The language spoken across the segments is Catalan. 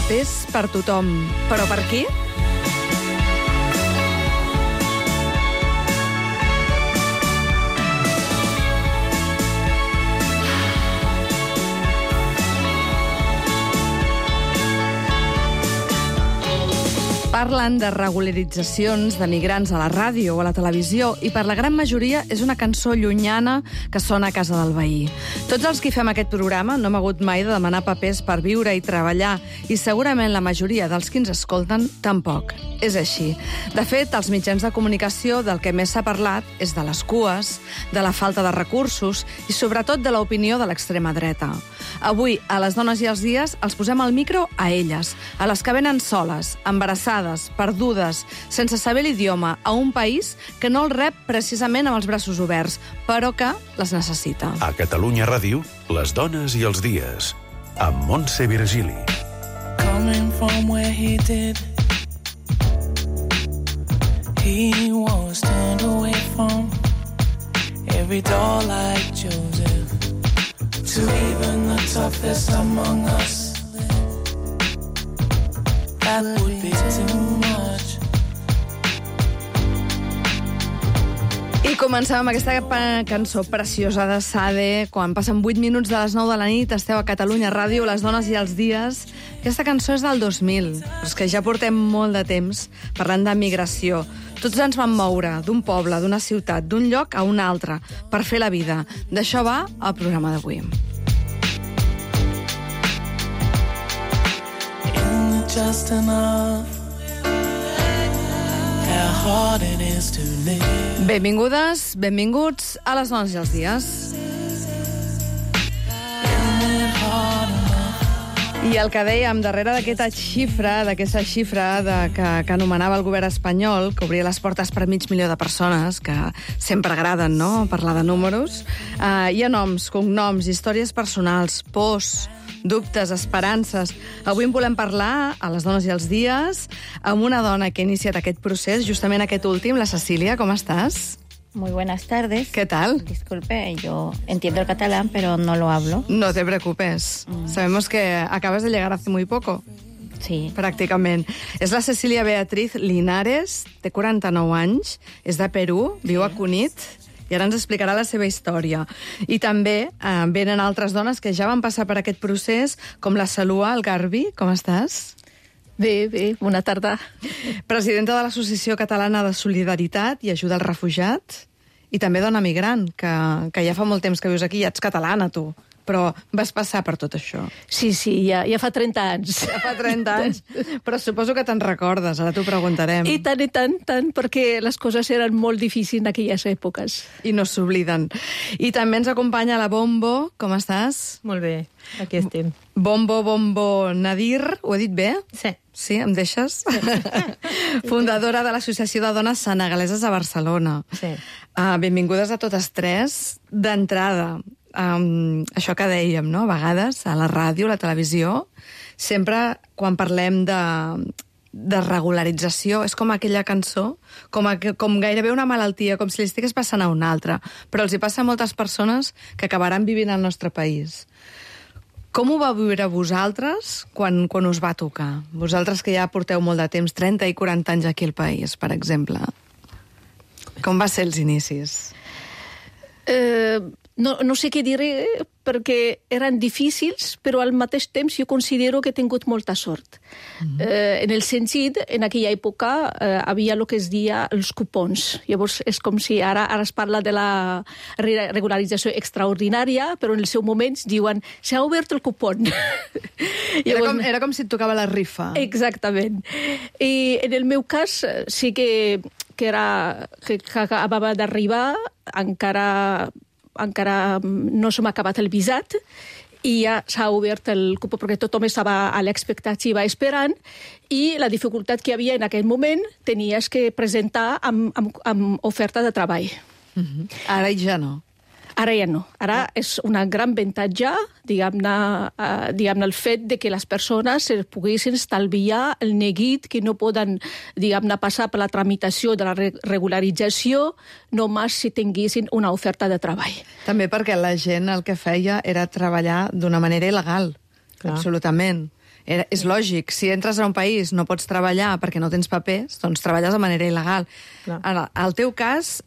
Papers per tothom. Però per qui? Parlen de regularitzacions de migrants a la ràdio o a la televisió i per la gran majoria és una cançó llunyana que sona a casa del veí. Tots els que fem aquest programa no hem hagut mai de demanar papers per viure i treballar i segurament la majoria dels que ens escolten tampoc. És així. De fet, als mitjans de comunicació del que més s'ha parlat és de les cues, de la falta de recursos i sobretot de l'opinió de l'extrema dreta. Avui, a Les Dones i els Dies, els posem al micro a elles, a les que venen soles, embarassades, perdudes, sense saber l'idioma, a un país que no el rep precisament amb els braços oberts, però que les necessita. A Catalunya Ràdio, Les Dones i els Dies, amb Montse Virgili. Coming from where he did, he was turned away from every door like Joseph, to even the toughest among us. That would be too much. I comencem amb aquesta cançó preciosa de Sade. Quan passen 8 minuts de les 9 de la nit, esteu a Catalunya Ràdio, Les Dones i els Dies. Aquesta cançó és del 2000, però és que ja portem molt de temps parlant de migració. Tots ens vam moure d'un poble, d'una ciutat, d'un lloc a un altre, per fer la vida. D'això va el programa d'avui. Just enough, how hard it is to live. Benvingudes, benvinguts a Les Dones i els Dies. I el que dèiem, darrere d'aquesta xifra que anomenava el govern espanyol, que obria les portes per 500.000 de persones, que sempre agraden, no?, parlar de números, hi ha noms, cognoms, històries personals, pors, dubtes, esperances. Avui en volem parlar, a Les Dones i els Dies, amb una dona que ha iniciat aquest procés, justament aquest últim, la Cecília. ¿Cómo estás? Muy buenas tardes. ¿Qué tal? Disculpe, yo entiendo el catalán, pero no lo hablo. No te preocupes. Sabemos que acabas de llegar hace muy poco. Sí. Pràcticament. És la Cecília Beatriz Linares, té 49 anys, és de Perú, viu a Cunit, i ara ens explicarà la seva història. I també venen altres dones que ja van passar per aquest procés, com la Salua Algarbi. Com estàs? Bé, bona tarda. Presidenta de l'Associació Catalana de Solidaritat i Ajuda als Refugiats, i també dona migrant, que ja fa molt temps que vius aquí, ja ets catalana, tu. Però vas passar per tot això. Sí, ja fa 30 anys. Ja fa 30 anys. Però suposo que te'n recordes, ara t'ho preguntarem. I tant, perquè les coses eren molt difícils en aquelles èpoques. I no s'obliden. I també ens acompanya la Bombo. Com estàs? Molt bé, aquí estem. Bombo Nadir, ho he dit bé? Sí. Sí, em deixes? Fundadora de l'Associació de Dones Senegaleses a Barcelona. Sí. Benvingudes a totes tres. D'entrada, això que dèiem, no? A vegades, a la ràdio, a la televisió, sempre quan parlem de regularització, és com aquella cançó, com gairebé una malaltia, com si li estigués passant a una altra, però els hi passa a moltes persones que acabaran vivint al nostre país. Com ho va viure vosaltres quan us va tocar? Vosaltres que ja porteu molt de temps, 30 i 40 anys aquí al país, per exemple. Com va ser els inicis? No sé què diré, perquè eren difícils, però al mateix temps jo considero que he tingut molta sort. En el sentit, en aquella època havia el que es deia els cupons. Llavors és com si ara es parla de la regularització extraordinària, però en el seu moment diuen s'ha obert el cupon. Era com si et tocava la rifa. Exactament. I en el meu cas sí que acabava d'arribar, encara no s'ha acabat el visat i ja s'ha obert el cupó perquè tothom estava a l'expectativa esperant i la dificultat que hi havia en aquell moment tenies que presentar amb oferta de treball. Ara ja no. Ara ja no. Ara és un gran avantatge, diguem-ne, el fet de que les persones poguessin estalviar el neguit que no poden, diguem-ne, passar per la tramitació de la regularització només si tinguessin una oferta de treball. També perquè la gent el que feia era treballar d'una manera il·legal. Clar. Absolutament. És lògic, si entres a un país no pots treballar perquè no tens papers, doncs treballes de manera il·legal. Al teu cas,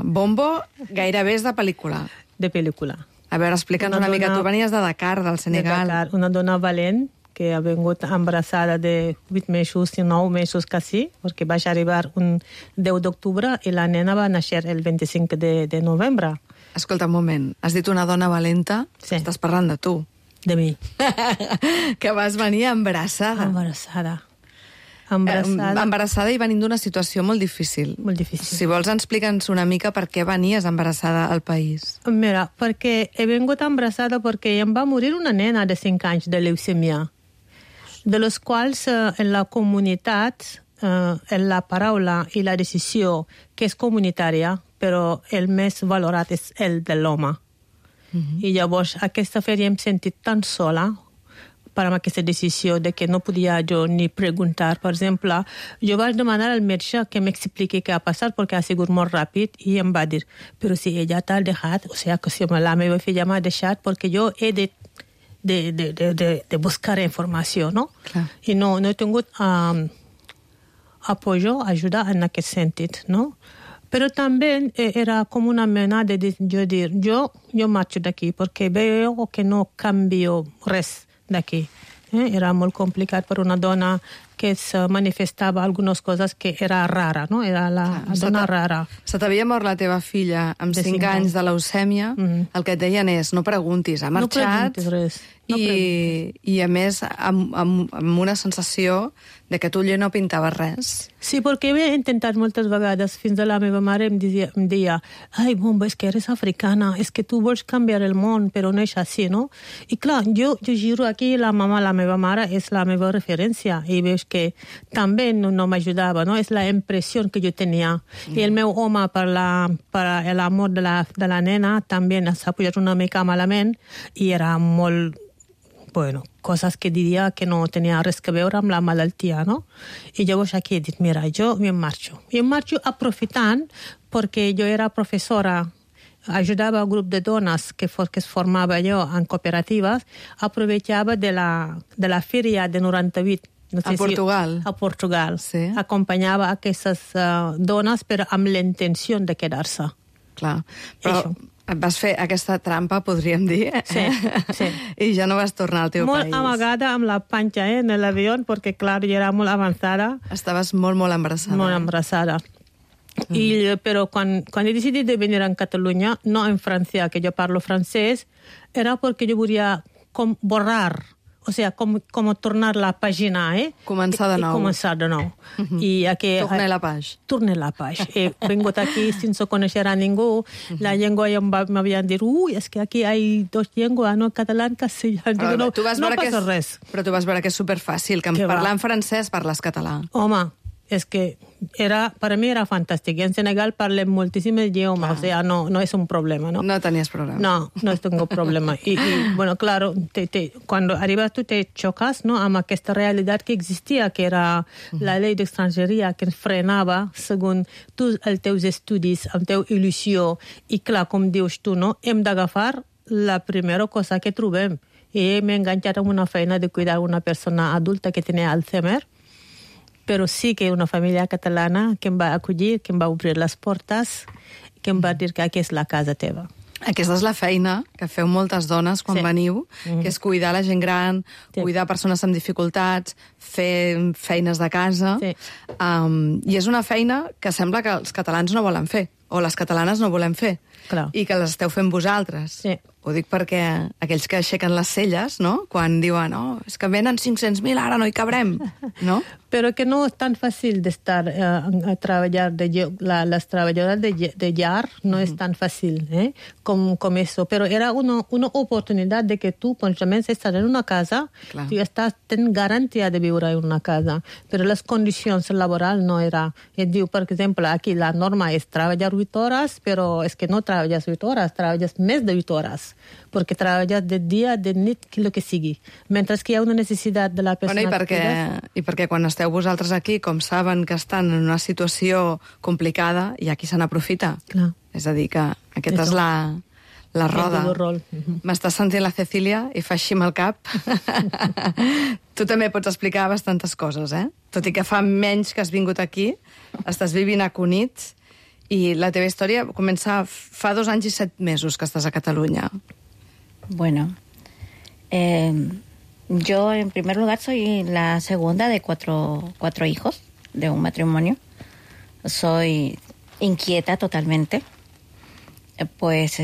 Bombo gairebé és de pel·lícula. De pel·lícula. A veure, explica'ns una mica. Tu venies de Dakar, del Senegal. De Dakar, una dona valent que ha vingut embarassada de 8 mesos i 9 mesos quasi, perquè vaig arribar un 10 d'octubre i la nena va néixer el 25 de novembre. Escolta, un moment. Has dit una dona valenta? Sí. Estàs parlant de tu. De mi. Que vas venir embarassada. Embarassada i venint d'una situació molt difícil. Molt difícil. Si vols, explica'ns una mica per què venies embarassada al país. Mira, perquè he vingut embarassada perquè em va morir una nena de 5 anys de leucèmia, de les quals en la comunitat, en la paraula i la decisió, que és comunitària, però el més valorat és el de l'home. I llavors aquesta feria em sentit tan sola per amb aquesta decisió de que no podia jo ni preguntar. Per exemple, jo vaig demanar al metge que m'expliqui què ha passat perquè ha sigut molt ràpid i em va dir, però si ella t'ha deixat, o sigui, que si la meva filla m'ha deixat perquè jo he de buscar informació, no? Clar. I no he tingut ajuda en aquest sentit, no? Però també era com una mena de dir, jo marxo d'aquí perquè veo que no canvio res d'aquí. Era molt complicat per una dona que es manifestava algunes coses que era rara, no? Era la dona rara. Se t'havia mort la teva filla amb 5 anys de leucèmia. El que et deien és, no preguntis, ha marxat. No preguntis res. I a més, amb una sensació de que tu allò no pintava res. Sí, perquè he intentat moltes vegades, fins a la meva mare em deia, ai, Bomba, és que eres africana, és que tu vols canviar el món, però no és així, no? I clar, jo giro aquí, la meva mare és la meva referència, i veus que també no m'ajudava, no? És la impressió que jo tenia. I el meu home, per l'amor de la nena, també s'ha posat una mica malament, i era molt... Bueno, coses que diria que no tenia res a veure amb la malaltia, no? I llavors aquí he dit, mira, jo em marxo. I em marxo aprofitant perquè jo era professora, ajudava un grup de dones que es formava jo en cooperatives, aprovechava de la fèria de 98. No sé a Portugal. A Portugal. Sí. Acompanyava aquestes dones però amb la intenció de quedar-se. Clar, però... Vas fer aquesta trampa, podríem dir, Sí. I ja no vas tornar al teu país. Molt amagada amb la panxa, en l'avió, perquè, clar, jo era molt avançada. Estaves molt embarassada. Molt embarassada. Però quan he decidit de venir a Catalunya, no en França, que jo parlo francès, era perquè jo volia com borrar, o sigui, com tornar la pàgina, Començar de nou. Començar de nou. Tornar la pàgina. Tornar la pàgina. He vingut aquí sense conèixer a ningú. La llengua ja m'havien dit, és que aquí hi ha 2 llengües, no? Català i castellà. No passa res. Però tu vas veure que és superfàcil, que parlant francès parles català. Home, és que per mi era fantàstic. En Senegal parlem moltíssimes idiomes, o sea, no és un problema, ¿no? No tenies problema. No tengo problema. Y bueno, claro, cuando arribas tú te chocas, ¿no? Amb aquesta realitat que existia, que era la llei d'estrangeria que ens frenava segons els teus estudis, amb teu il·lusió. I clar, com dius tu, no? Hem d'agafar la primera cosa que trobem. I m'he enganxat amb una feina de cuidar una persona adulta que tenia Alzheimer, però sí que una família catalana que em va acollir, que em va obrir les portes, que em va dir que aquí és la casa teva. Aquesta és la feina que feu moltes dones quan veniu, que és cuidar la gent gran, cuidar persones amb dificultats, fer feines de casa. Sí. I és una feina que sembla que els catalans no volen fer, o les catalanes no volem fer, Clar. I que les esteu fent vosaltres. Sí. Ho dic perquè aquells que aixequen les celles, no?, quan diuen, és que venen 500.000, ara no hi cabrem, no? Però que no és tan fàcil d'estar a treballar, les treballadores de llar no és tan fàcil com eso. Però era una oportunitat de que tu, justament, estàs en una casa, tu tens garantia de viure en una casa, però les condicions laborals no era. Et diu, per exemple, aquí la norma és treballar 8 hores, però és que no treballes 8 hores, treballes més de 8 hores, perquè treballes de dia, de nit, el que sigui. Mentre que hi ha una necessitat de la persona... I perquè quan esteu vosaltres aquí, com saben que estan en una situació complicada, hi ha qui se n'aprofita. Clar. És a dir, que aquesta és la roda. El rol. M'està sentint la Cecília i fa així amb el cap. Tu també pots explicar bastantes coses, Tot i que fa menys que has vingut aquí, estàs vivint a Cunit i la teva història comença fa 2 anys i 7 mesos que estàs a Catalunya. Bueno, yo en primer lugar soy la segunda de cuatro hijos de un matrimonio. Soy inquieta totalmente. Pues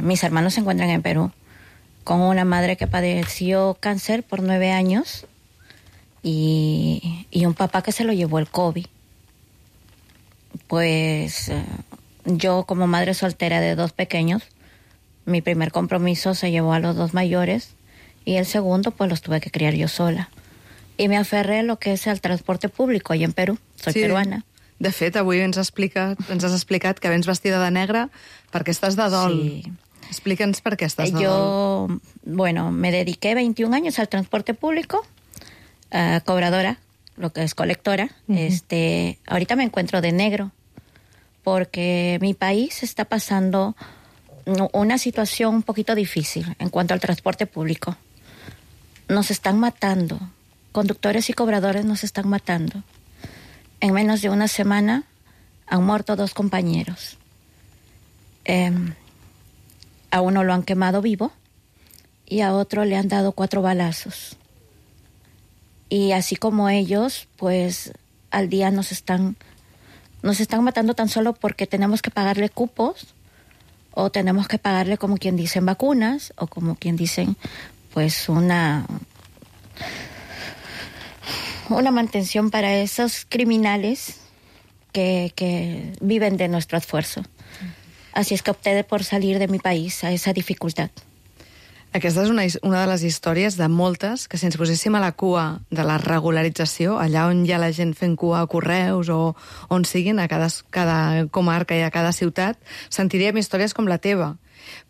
mis hermanos se encuentran en Perú con una madre que padeció cáncer por 9 años y un papá que se lo llevó el COVID. Pues yo como madre soltera de 2 pequeños, mi primer compromiso se llevó a los 2 mayores y el segundo pues los tuve que criar yo sola. Y me aferré a lo que es el transporte público allá en Perú. Soy peruana. De fet, avui ens has explicat que vens vestida de negre perquè estàs de dol. Sí. Explica'ns per qué estás de Yo, bueno, me dediqué 21 años al transporte público, cobradora, lo que es colectora. Ahorita me encuentro de negro porque mi país está pasando una situación un poquito difícil en cuanto al transporte público. Nos están matando, conductores y cobradores nos están matando. En menos de una semana han muerto 2 compañeros. A uno lo han quemado vivo y a otro le han dado 4 balazos. Y así como ellos, pues al día nos están matando tan solo porque tenemos que pagarle cupos o tenemos que pagarle, como quien dicen, vacunas o como quien dicen, pues una mantención para esos criminales que viven de nuestro esfuerzo. Así es que opté por salir de mi país a esa dificultad. Aquesta és una de les històries de moltes que si ens poséssim a la cua de la regularització, allà on hi ha la gent fent cua a correus o on siguin, a cada comarca i a cada ciutat, sentiríem històries com la teva.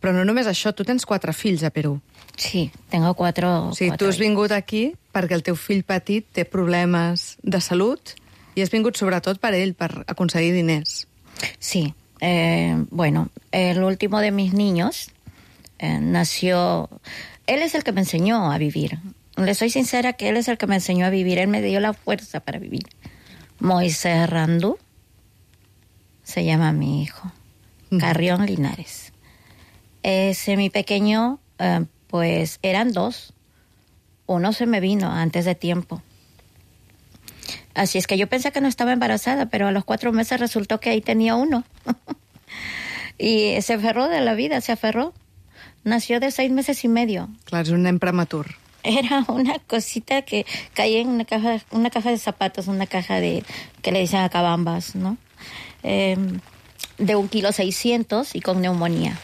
Però no només això, tu tens 4 fills a Perú. Sí, tengo 4. O sigui, tu has vingut aquí perquè el teu fill petit té problemes de salut i has vingut sobretot per ell, per aconseguir diners. Sí, bueno, el último de mis niños nació... Él es el que me enseñó a vivir. Le soy sincera que él es el que me enseñó a vivir. Él me dio la fuerza para vivir. Moisés Randú se llama mi hijo. Carrión Linares. Mi pequeño, pues eran 2. Uno se me vino antes de tiempo. Así es que yo pensé que no estaba embarazada, pero a los 4 meses resultó que ahí tenía uno. Y se aferró de la vida, se aferró. Nació de 6 meses y medio. Clar, és un nen prematur. Era una cosita que caía en una caja de zapatos, una caja que le dicen acabambas, ¿no? De 1,6 kg y con neumonía.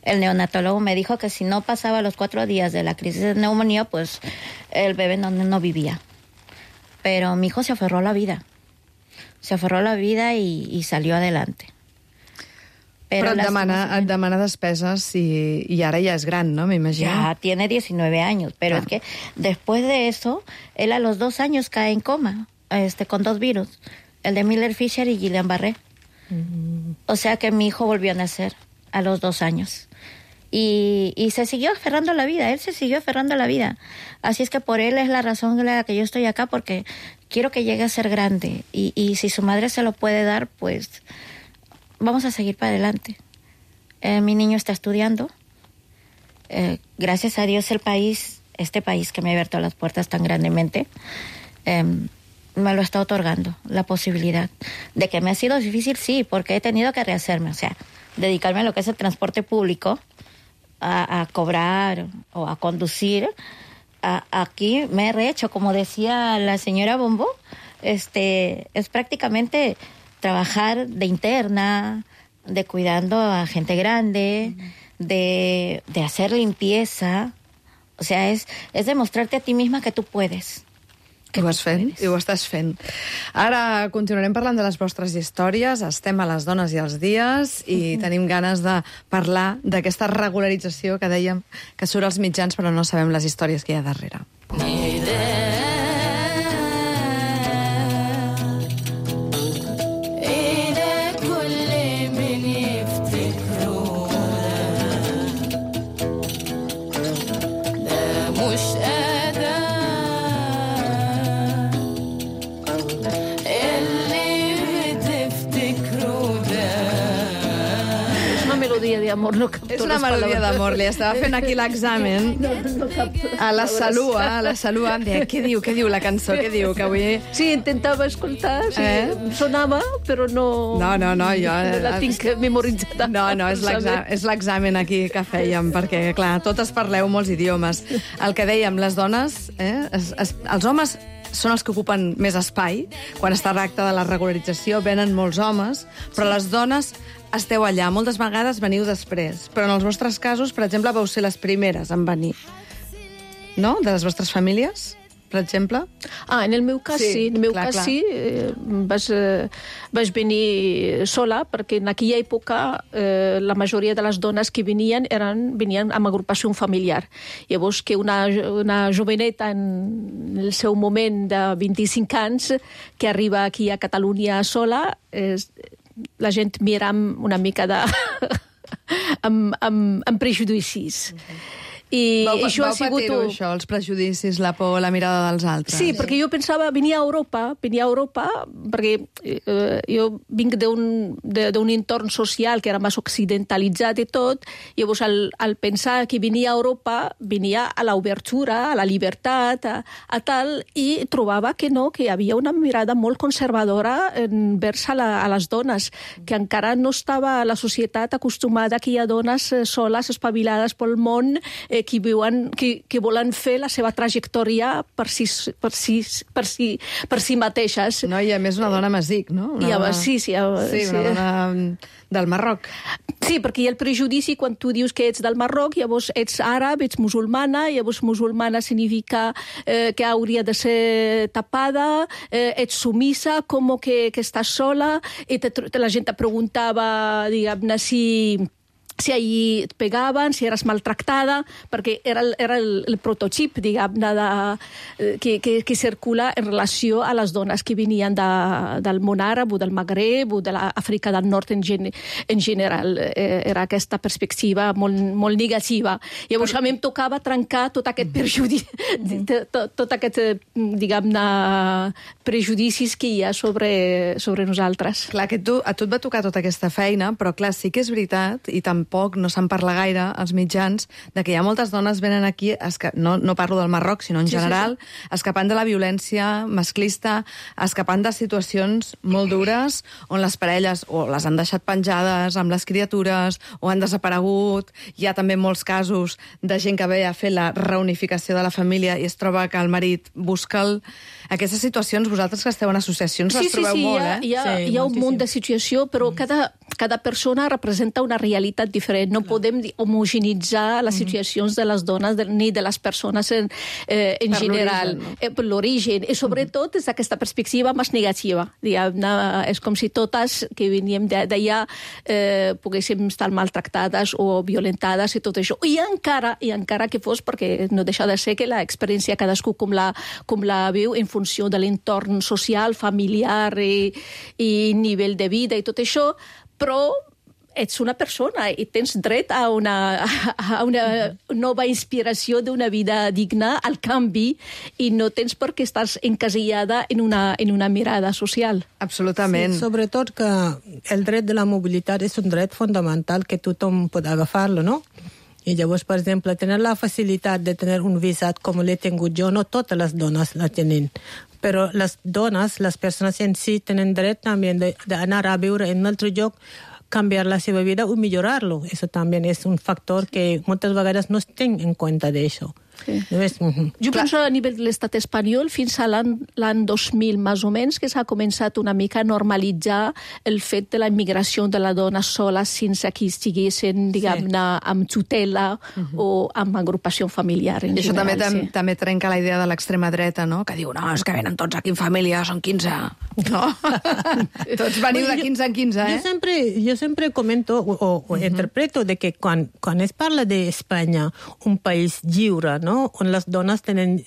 El neonatólogo me dijo que si no pasaba los 4 días de la crisis de neumonía, pues el bebé no vivía. Pero mi hijo se aferró a la vida. Se aferró a la vida y salió adelante. Però et demana despeses y ahora ya es gran, ¿no? Me imagino. Ya tiene 19 años, pero es que después de eso, él a los 2 años cae en coma, con 2 virus, el de Miller-Fisher y Guillain-Barré. O sea que mi hijo volvió a nacer a los 2 años. Y se siguió aferrando a la vida, él se siguió aferrando a la vida. Así es que por él es la razón en la que yo estoy acá, porque quiero que llegue a ser grande. Y si su madre se lo puede dar, pues vamos a seguir para adelante. Mi niño está estudiando. Gracias a Dios este país que me ha abierto las puertas tan grandemente, me lo está otorgando, la posibilidad. De que me ha sido difícil, sí, porque he tenido que rehacerme, o sea, dedicarme a lo que es el transporte público, a cobrar o a conducir. Aquí me he rehecho, como decía la señora Bombo, es prácticamente trabajar de interna, de cuidando a gente grande, de hacer limpieza. O sea, es demostrarte a ti misma que tú puedes. I ho estàs fent. Ara continuarem parlant de les vostres històries, estem a les dones i els dies i tenim ganes de parlar d'aquesta regularització que dèiem que surt als mitjans però no sabem les històries que hi ha darrere. melodia d'amor, no capto És una les melodia paraules. d'amor. Li estava fent aquí l'examen No capto les a la paraules. Salua, em deia, què diu la cançó, què diu, que avui... Sí, intentava escoltar, sí, sonava, però no... No, jo... No la tinc memoritzada. No, és l'examen aquí que fèiem, perquè, clar, totes parleu molts idiomes. El que dèiem, les dones, els homes són els que ocupen més espai. Quan es tracta de la regularització venen molts homes, però les dones esteu allà. Moltes vegades veniu després, però en els vostres casos, per exemple, vau ser les primeres en venir. No? De les vostres famílies, per exemple? En el meu cas sí. En el meu cas sí. Vaig venir sola, perquè en aquella època la majoria de les dones que venien amb agrupació familiar. Llavors que una joveneta en el seu moment de 25 anys que arriba aquí a Catalunya sola, la gent mira una mica amb prejudicis. I Vau sigut... patir-ho, això, els prejudicis, la por, la mirada dels altres. Sí, perquè jo pensava venir a Europa, perquè jo vinc d'un entorn social que era més occidentalitzat i tot, i llavors al pensar que venia a Europa, venia a l'obertura, a la llibertat, a tal, i trobava que no, que hi havia una mirada molt conservadora envers a les dones, que encara no estava la societat acostumada que hi ha dones soles, espavilades pel món, que volen fer la seva trajectòria per si mateixes. No, i a més una dona masic, no? Sí, una dona del Marroc. Sí, perquè hi ha el prejudici quan tu dius que ets del Marroc, llavors ets àrab, ets musulmana, llavors musulmana significa que hauria de ser tapada, ets sumisa, com que estàs sola, i la gent te preguntava, diguem-ne, si allí et pegaven, si eres maltractada, perquè era el prototip, diguem-ne, que circula en relació a les dones que venien del món àrab o del Magreb o de l'Àfrica del Nord en general. Era aquesta perspectiva molt negativa. Llavors a mi em tocava trencar tot aquest prejudici, tot aquest, diguem-ne, prejudicis que hi ha sobre nosaltres. Clar, que a tu et va tocar tota aquesta feina, però clar, sí que és veritat, i tampoc no se'n parla gaire als mitjans, de que hi ha moltes dones venen aquí, no parlo del Marroc, sinó en general, escapant de la violència masclista, escapant de situacions molt dures, on les parelles o les han deixat penjades amb les criatures, o han desaparegut. Hi ha també molts casos de gent que ve a fer la reunificació de la família i es troba que el marit busca aquestes situacions. Vosaltres que esteu en associacions les trobeu molt, eh? Hi ha un munt de situació, però cada persona representa una realitat diferent. No podem homogeneïtzar les situacions de les dones ni de les persones en general. Per l'origen. I sobretot des d'aquesta perspectiva més negativa. És com si totes que veníem d'allà poguéssim estar maltractades o violentades i tot això. I encara que fos, perquè no deixa de ser que l'experiència cadascú com la viu en funció de l'entorn social, familiar i nivell de vida i tot això, però ets una persona i tens dret a una nova inspiració d'una vida digna, al canvi, i no tens per què estàs encasillada en una mirada social. Absolutament. Sí, sobretot que el dret de la mobilitat és un dret fonamental que tothom pot agafar-lo, no? I llavors, per exemple, tenir la facilitat de tenir un visat com l'he tingut jo, no totes les dones la tenen, però les dones, les persones en si, tenen dret també d'anar a viure en un altre lloc, cambiar la seva vida o millorar-lo. Eso también es un factor que moltes vegades no es ten en compte d'això. Sí. Jo penso a nivell de l'estat espanyol, fins a l'any 2000, més o menys, que s'ha començat una mica a normalitzar el fet de la immigració de la dona sola sense que estiguessin, diguem-ne, amb tutela o amb agrupació familiar. I això també trenca la idea de l'extrema dreta, no? Que diu, no, és que venen tots aquí en família, són 15. No? Tots veniu de 15 en 15, eh? Jo sempre comento o interpreto de que quan es parla d'Espanya, un país lliure, no? On les dones tenen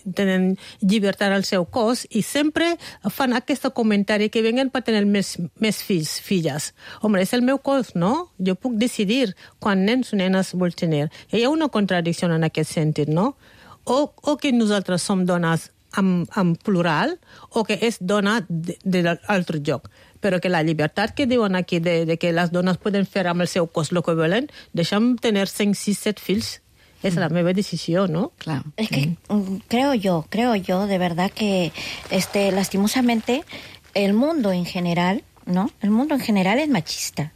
llibertat al seu cos i sempre fan aquest comentari que venen per tenir més fills, filles. Home, és el meu cos, no? Jo puc decidir quan nens o nenes vol tenir. Hi ha una contradicció en aquest sentit, no? O que nosaltres som dones en plural o que és dona de l'altre lloc. però que la llibertat que diuen aquí de que les dones poden fer amb el seu cos el que volen, deixa'm tenir 5, 6, 7 fills. Es la meva decisión, ¿no? Claro. Es que creo yo, de verdad que lastimosamente el mundo en general, ¿no? El mundo en general es machista.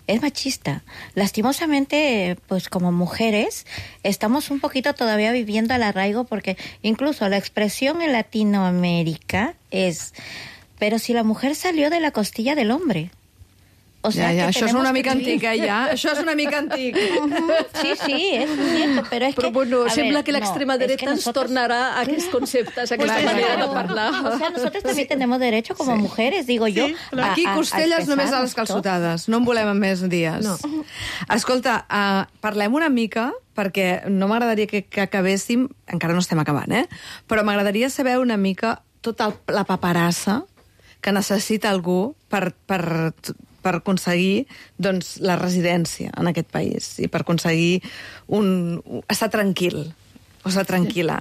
Es machista. Lastimosamente, pues como mujeres, estamos un poquito todavía viviendo al arraigo porque incluso la expresión en Latinoamérica es, pero si la mujer salió de la costilla del hombre. O sea, això és una mica antic, ja. Això és una mica antic. Sí, es cierto, pero es Però que... bueno, a sembla ver, que l'extrema no, dreta ens tornarà a aquests conceptes, a aquesta manera de parlar. O sea, nosotros también tenemos derecho como mujeres, digo yo. Aquí costelles només a les calçotades. No en volem més dies. No. Escolta, parlem una mica, perquè no m'agradaria que acabéssim, encara no estem acabant, però m'agradaria saber una mica tota la paperassa que necessita algú per aconseguir doncs, la residència en aquest país i per aconseguir estar tranquil o estar tranquil·la.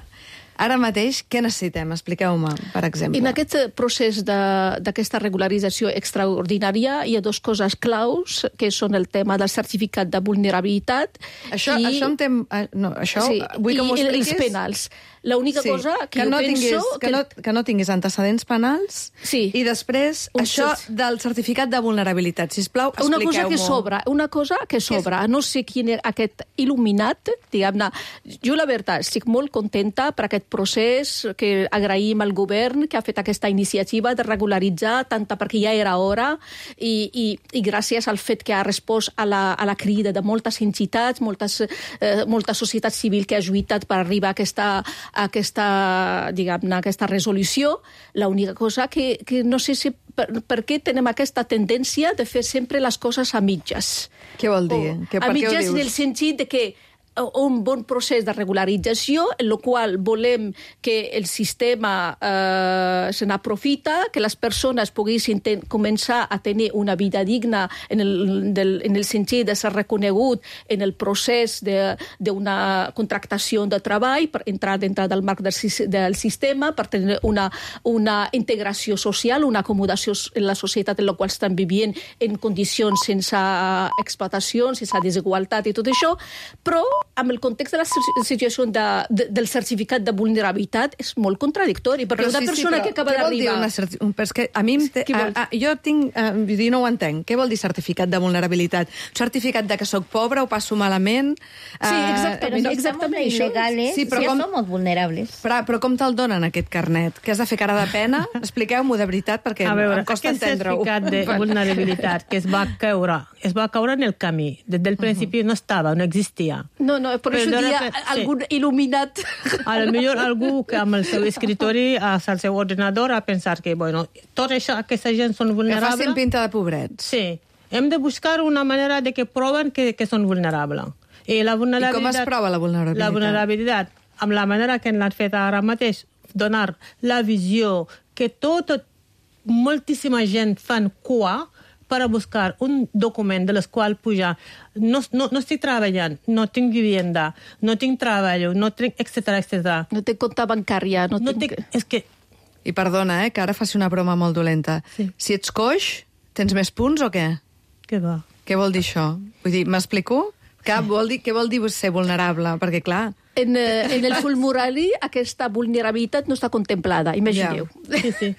Ara mateix, què necessitem? Expliqueu-me, per exemple. En aquest procés d'aquesta regularització extraordinària hi ha dues coses claus, que són el tema del certificat de vulnerabilitat això vull que m'ho expliquis. I els penals. L'única cosa que jo penso... Que no tinguis antecedents penals i després això del certificat de vulnerabilitat. Sisplau, expliqueu-m'ho. Una cosa que sobra. No sé quin és aquest il·luminat, diguem-ne. Jo, la veritat, estic molt contenta per aquest procés que agraïm al govern que ha fet aquesta iniciativa de regularitzar, tant perquè ja era hora i gràcies al fet que ha respost a la crida de moltes entitats, molta societat civil que ha lluitat per arribar a aquesta resolució. L'única cosa que no sé si per què tenem aquesta tendència de fer sempre les coses a mitges. Què vol dir? A mitges en el sentit de que un bon procés de regularització en el qual volem que el sistema se n'aprofita, que les persones poguessin començar a tenir una vida digna en el sentit de ser reconegut en el procés d'una contractació de treball, per entrar dintre del marc del sistema, per tenir una integració social, una acomodació en la societat en la qual estan vivint en condicions sense explotació, sense desigualtat i tot això, però amb el context de la situació del certificat de vulnerabilitat és molt contradictori, perquè una persona que acaba d'arribar... Jo no ho entenc. Què vol dir certificat de vulnerabilitat? Certificat de que soc pobre, ho passo malament... Sí, exactament això. Sí, però som vulnerables. Però com te'l donen, aquest carnet? Que has de fer cara de pena? Expliqueu-m'ho de veritat, perquè em costa entendre-ho. Aquest certificat de vulnerabilitat que es va caure en el camí. Des del principi no estava, no existia. No, per això dia algun il·luminat. A lo millor algú que amb el seu escritori, al seu ordinador, ha pensat que, tot això, aquesta gent són vulnerables... Que facin pinta de pobrets. Sí. Hem de buscar una manera de que proven que són vulnerables. I com es prova la vulnerabilitat? La vulnerabilitat, amb la manera que l'han fet ara mateix, donar la visió que moltíssima gent fan cua per a buscar un document de les quals pujar. No estic treballant, no tinc vivienda, no tinc treball, no tinc, etcètera. No tinc compte bancària. I perdona, que ara faci una broma molt dolenta. Sí. Si ets coix, tens més punts o què? Què va? Què vol dir això? Vull dir, m'explico? Què vol dir ser vulnerable? Perquè, clar... En el formulari aquesta vulnerabilitat no està contemplada, imagineu. Sí.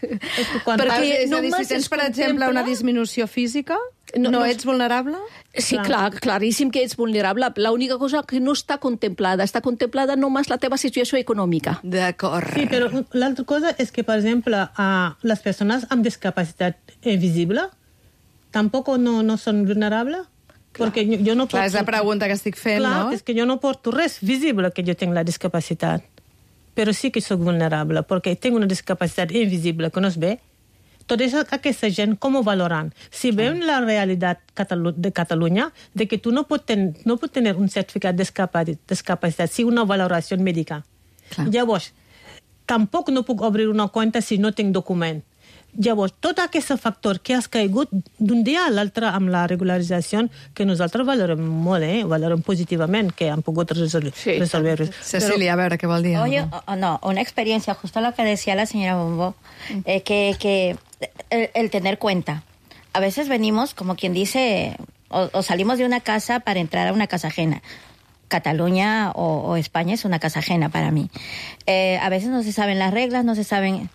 Perquè, és a dir, si tens, per exemple, una disminució física, no ets vulnerable? Sí, claríssim que ets vulnerable. L'única cosa que no està contemplada només la teva situació econòmica. D'acord. Sí, però l'altra cosa és que, per exemple, les persones amb discapacitat invisible tampoc no són vulnerables. Perquè jo no porto... Clar, és la pregunta que estic fent, no? Clar, és que jo no porto res visible que jo tinc la discapacitat. Però sí que soc vulnerable, perquè tinc una discapacitat invisible que no es ve. Tot això, aquesta gent, com ho valoran? Si veuen la realitat de Catalunya, de que tu no pots tenir un certificat de discapacitat, si una valoració mèdica. Clar. Llavors, tampoc no puc obrir una compte si no tinc document. Llavors, tot aquest factor que has caigut d'un dia a l'altre amb la regularització, que nosaltres valorem molt, valorem positivament, que han pogut resolver. Cecilia, a veure, què vol dir? Oye, una experiencia, justo lo que decía la señora Bombo, que el tener cuenta. a veces venimos, como quien dice, o salimos de una casa para entrar a una casa ajena. Cataluña o España es una casa ajena para mí. A veces no se saben las reglas, no se saben...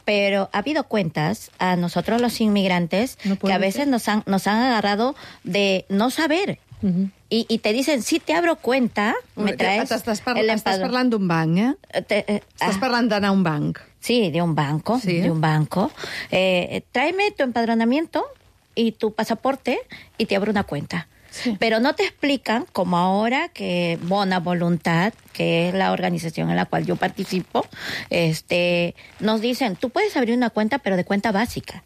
Pero ha habido cuentas a nosotros los inmigrantes que a veces nos han agarrado de no saber. Y te dicen, si te abro cuenta, me traes Estàs parlant d'un banc, Estàs parlant d'anar a un banc. Sí, de un banco, de un banco. Tráeme tu empadronamiento y tu pasaporte y te abro una cuenta. Sí. Pero no te explican, como ahora, que Bona Voluntad, que es la organización en la cual yo participo, nos dicen, tú puedes abrir una cuenta, pero de cuenta básica.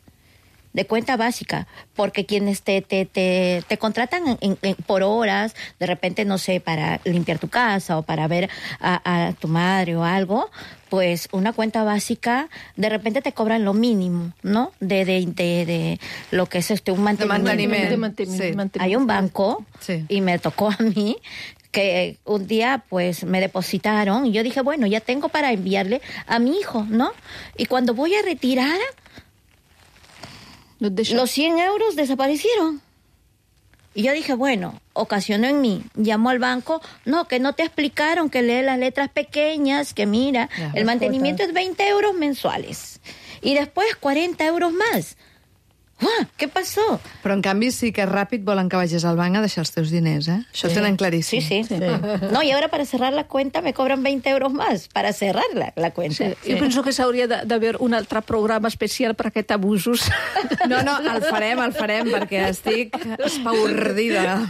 De cuenta básica, porque quienes te contratan por horas, de repente, no sé, para limpiar tu casa o para ver a tu madre o algo, pues una cuenta básica, de repente te cobran lo mínimo, ¿no? De lo que es un mantenimiento. Sí. Hay un banco, y me tocó a mí, que un día pues me depositaron y yo dije, bueno, ya tengo para enviarle a mi hijo, ¿no? Y cuando voy a retirar, los 100 euros desaparecieron. Y yo dije, bueno, ocasionó en mí. Llamó al banco, no, que no te explicaron, que lee las letras pequeñas, que mira, el mantenimiento es 20 euros mensuales. Y después 40 euros más. Què passó? Però, en canvi, sí que ràpid volen que vagis al banc a deixar els teus diners, Això ho tenen claríssim. Sí. No, y ahora para cerrar la cuenta me cobran 20 euros más para cerrar la cuenta. Sí. Jo penso que s'hauria d'haver un altre programa especial per aquests abusos. No, el farem, perquè estic espaordida.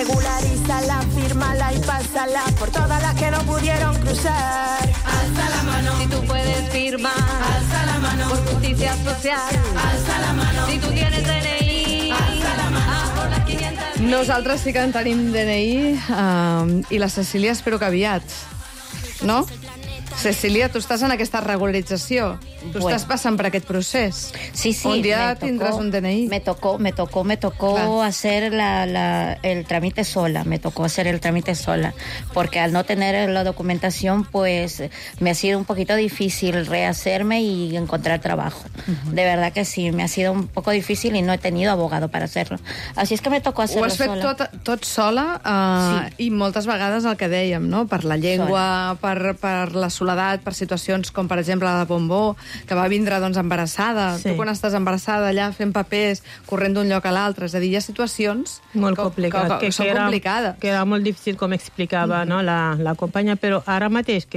Regularízala, fírmala y pásala por todas las que no pudieron cruzar. Alza la mano si tú puedes firmar. Alza la mano por justicia social. Alza la mano si tú tienes DNI. Alza la mano por las 500. Nosaltres sí que en tenim DNI i la Cecília espero que aviat. No? Cecília, tu estàs en aquesta regularització. Tu estàs passant per aquest procés. Sí, un dia tindràs un DNI. Me tocó hacer el trámite sola. Me tocó hacer el trámite sola. Porque al no tener la documentación, pues me ha sido un poquito difícil rehacerme y encontrar trabajo. De verdad que sí, me ha sido un poco difícil y no he tenido abogado para hacerlo. Así es que me tocó hacerlo sola. Ho has fet tot sola i moltes vegades el que dèiem, no? Per la llengua, per la soledat, per situacions com, per exemple, la de Bombó, que va vindre embarassada. Tu quan estàs embarassada allà fent papers, corrent d'un lloc a l'altre, és a dir, hi ha situacions molt complicat, que són complicades. Que era molt difícil, com explicava la companya, però ara mateix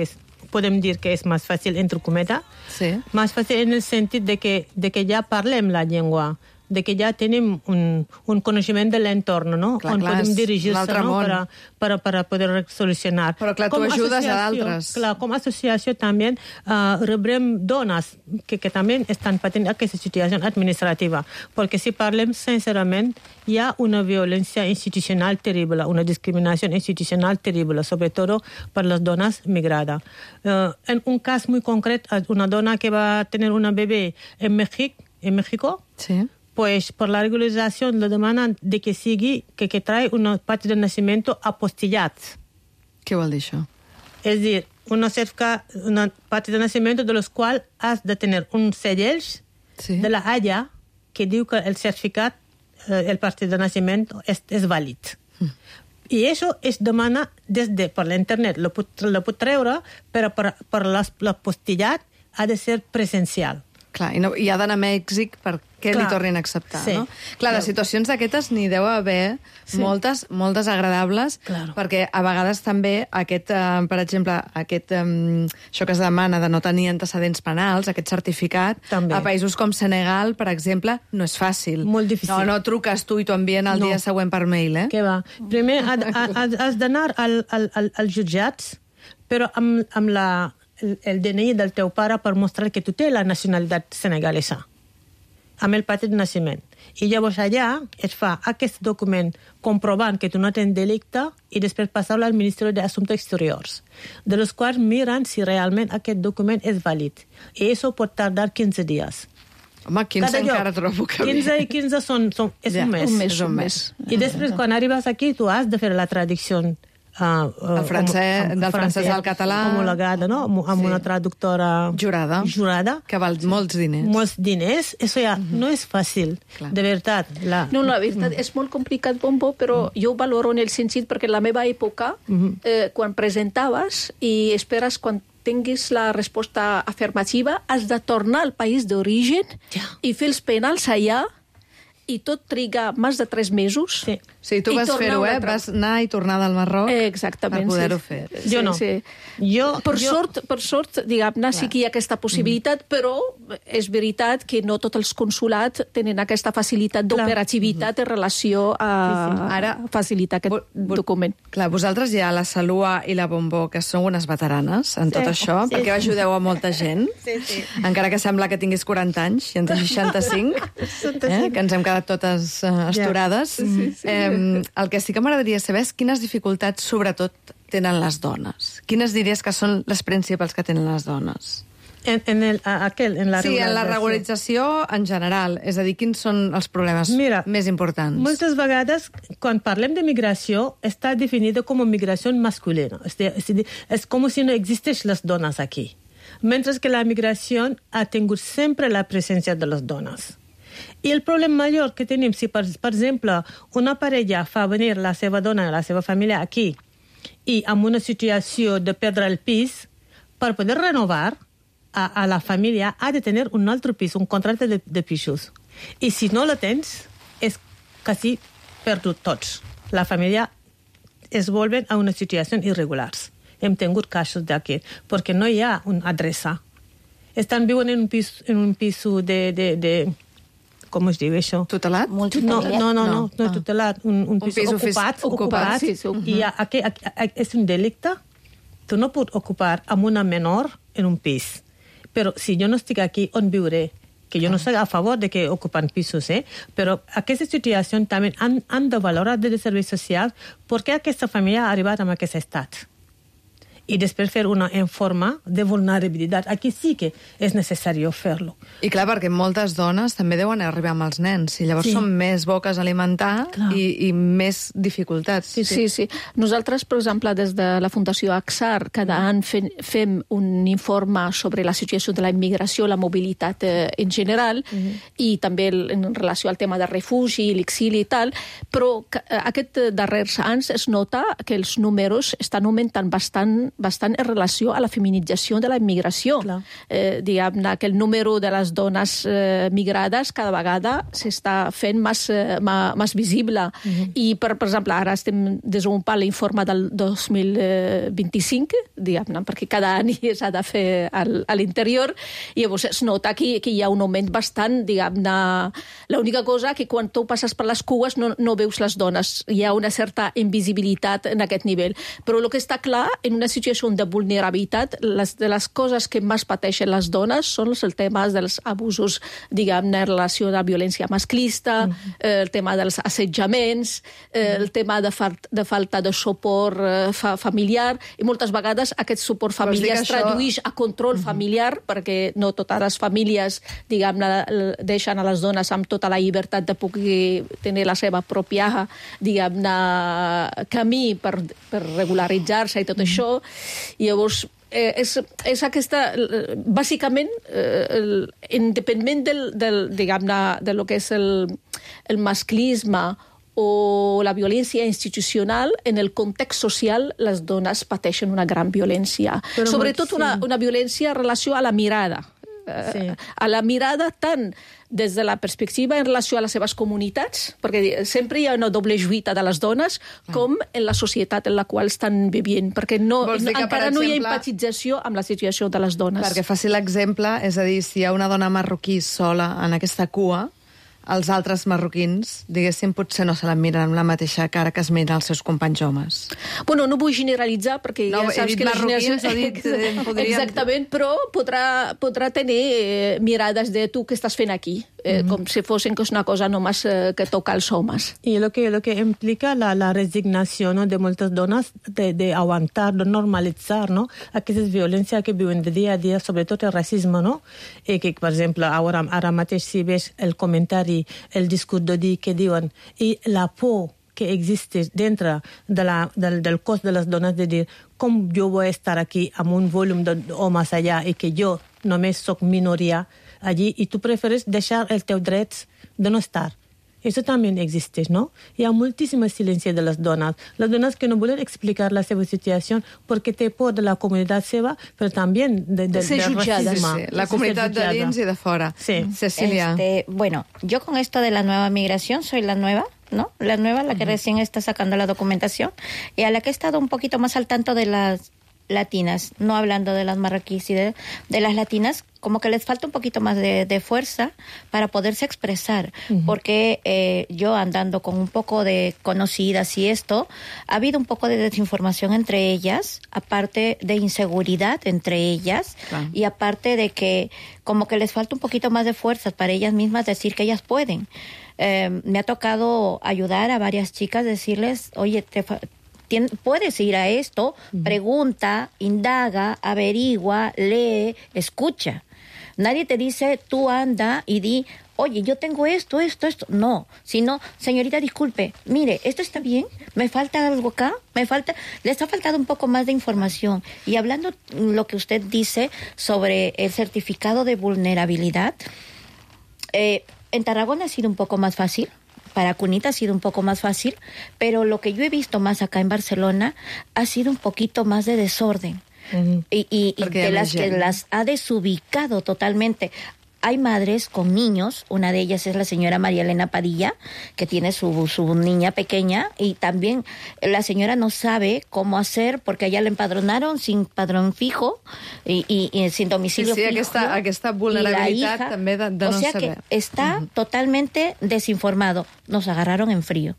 podem dir que és més fàcil, entre cometes, més fàcil en el sentit de que ja parlem la llengua, de que ja tenim un coneixement de l'entorn, no? On podem dirigir-se, no? Per poder solucionar. Però, clar, tu ajudes a d'altres. Clar, com a associació també rebrem dones que també estan patint aquesta situació administrativa, perquè si parlem sincerament, hi ha una violència institucional terrible, una discriminació institucional terrible, sobretot per les dones migrades. En un cas molt concret, una dona que va tenir una bebé en México, pues por la regularización le demandan de que sigui, que trae una parte de nacimiento apostillat. Què vol dir això? Es decir, una parte de nacimiento de los cuales has de tener un sellell de la Haya que diu que el certificat, el parte de nacimiento és vàlid. I això es demana per l'internet, lo pot treure, però per l'apostillat ha de ser presencial. Clar, i ha d'anar a Mèxic perquè li tornin a acceptar, no? Clar, de situacions d'aquestes n'hi deu haver moltes agradables, perquè a vegades també per exemple, això que es demana de no tenir antecedents penals, aquest certificat, a països com Senegal, per exemple, no és fàcil. Molt difícil. No truques tu i t'ho envien el dia següent per mail, Què va? Primer has d'anar als jutjats, però amb el DNI del teu pare per mostrar que tu té la nacionalitat senegalesa, amb el paper de naixement. I llavors allà es fa aquest document comprovant que tu no tens delicte i després passar-lo al Ministeri d'Assumptes Exteriors, de los quals miren si realment aquest document és vàlid. I això pot tardar 15 dies. Home, 15 encara trobo que... 15 i 15 és un mes. Un mes. I després, quan arribes aquí, tu has de fer la traducció del francès al català. Homologada, no? Amb una traductora jurada, que val molts diners. Molts diners. Eso ja no és fàcil, de veritat. No, la veritat és molt complicat, Bombo, però jo ho valoro en el sentit perquè la meva època, quan presentaves i esperes quan tinguis la resposta afirmativa, has de tornar al país d'origen i fer els penals allà i tot triga més de 3 mesos. Sí, tu vas fer-ho, vas anar i tornar del Marroc per poder-ho fer. Jo no. Per sort, diguem-ne, sí que hi ha aquesta possibilitat, però és veritat que no tots els consulats tenen aquesta facilitat d'operativitat en relació a facilitar aquest document. Clar, vosaltres ja, la Salua i la Bombó, que sou unes veteranes en tot això, perquè ajudeu a molta gent, encara que sembla que tinguis 40 anys i en tens 65, que ens hem quedat totes esturades. El que sí que m'agradaria saber és quines dificultats, sobretot, tenen les dones. Quines diries que són les principals que tenen les dones? En la regularització en general. És a dir, quins són els problemes més importants? Moltes vegades, quan parlem de migració, està definida com a migració masculina. És com si no existeix les dones aquí. Mentre que la migració ha tingut sempre la presència de les dones. I el problema major que tenim, si per exemple una parella fa venir la seva dona i la seva família aquí i amb una situació de perdre el pis, per poder renovar a la família ha de tenir un altre pis, un contracte de pisos. I si no lo tens, és quasi perdut tots. La família es volven a una situació irregulars. Hem tingut casos d'aquí, perquè no hi ha una adreça. Estan viuen en un pis de com es diu això? Tutelat? No, tutelat. Un pis ocupat. I és un delicte. Tu no pots ocupar amb una menor en un pis. Però si jo no estic aquí, on viuré? Que jo no estic a favor de que ocupen pisos, però aquesta situació també han de valorar des de serveis socials perquè aquesta família ha arribat a aquest estat. I després fer una forma de vulnerabilitat. Aquí sí que és necessari fer-lo. I clar, perquè moltes dones també deuen arribar amb els nens, i llavors són més boques a alimentar i més dificultats. Sí. Nosaltres, per exemple, des de la Fundació AXAR, cada any fem un informe sobre la situació de la immigració, la mobilitat en general, i també en relació al tema de refugi, l'exili i tal, però aquests darrers anys es nota que els números estan augmentant bastant en relació a la feminització de la immigració. Diguem-ne que el número de les dones migrades cada vegada s'està fent més visible. I, per exemple, ara estem desenvolupant l'informe del 2025, diguem-ne, perquè cada any s'ha de fer a l'interior, i llavors es nota que hi ha un augment bastant, diguem-ne. L'única cosa que quan tu passes per les cues no veus les dones. Hi ha una certa invisibilitat en aquest nivell. Però el que està clar, en una situació de vulnerabilitat, de les coses que més pateixen les dones són els temes dels abusos, diguem-ne, en relació a la violència masclista, el tema dels assetjaments, el tema de falta de suport familiar, i moltes vegades aquest suport familiar es tradueix a control familiar, perquè no totes les famílies, diguem-ne, deixen a les dones amb tota la llibertat de poder tenir la seva pròpia, diguem-ne, camí per regularitzar-se i tot això. I llavors és aquesta, bàsicament, independent diguem-ne, de lo que és el masclisme o la violència institucional, en el context social les dones pateixen una gran violència. Sobretot una violència en relació a la mirada. A la mirada tant des de la perspectiva en relació a les seves comunitats, perquè sempre hi ha una doble lluita de les dones, com en la societat en la qual estan vivint, perquè encara no hi ha empatització amb la situació de les dones. Perquè faci l'exemple, és a dir, si hi ha una dona marroquí sola en aquesta cua, els altres marroquins, diguéssim, potser no se la miren amb la mateixa cara que es miren els seus companys homes. Bueno, no vull generalitzar, perquè ja saps que marroquins, exactament, però podrà tenir mirades de tu què estàs fent aquí, com si fossin que és una cosa només que toca als homes. I lo que implica la resignació, ¿no?, de moltes dones de aguantar, de normalitzar, ¿no?, aquestes violències que viuen de dia a dia, sobretot el racisme, no? I que, per exemple, ara mateix si veus el comentari, el discurs d'odi que diuen, i la por que existe dentro del cos de les dones de dir com jo vull estar aquí amb un volum d'homes allà i que jo només soc minoria allí i tu preferes deixar els teus drets de no estar. Eso también existe, ¿no? Hi ha moltíssim silenci de les dones que no volen explicar la seva situació perquè té por de la comunitat seva, però també de ser jutjada. Sí, la comunitat de dins i de fora. Sí. Cecilia. Bueno, yo con esto de la nueva migración soy la nueva, ¿no? La nueva, la que recién está sacando la documentación y a la que he estado un poquito más al tanto de las latinas, no hablando de las marroquíes y de las latinas, como que les falta un poquito más de fuerza para poderse expresar, porque yo andando con un poco de conocidas y esto, ha habido un poco de desinformación entre ellas, aparte de inseguridad entre ellas, y aparte de que como que les falta un poquito más de fuerza para ellas mismas decir que ellas pueden. Me ha tocado ayudar a varias chicas, decirles, oye, puedes ir a esto, pregunta, indaga, averigua, lee, escucha. Nadie te dice, tú anda y di, oye, yo tengo esto. No, sino, señorita, disculpe, mire, esto está bien, me falta algo acá, les ha faltado un poco más de información. Y hablando lo que usted dice sobre el certificado de vulnerabilidad, en Tarragona ha sido un poco más fácil. Para Cunita ha sido un poco más fácil, pero lo que yo he visto más acá en Barcelona ha sido un poquito más de desorden. Y de las que las ha desubicado totalmente. Hay madres con niños, una de ellas es la señora María Elena Padilla, que tiene su niña pequeña, y también la señora no sabe cómo hacer, porque allá la empadronaron sin padrón fijo y sin domicilio fijo. Aquesta vulnerabilitat també de no saber. O sea que está totalmente desinformado. Nos agarraron en frío.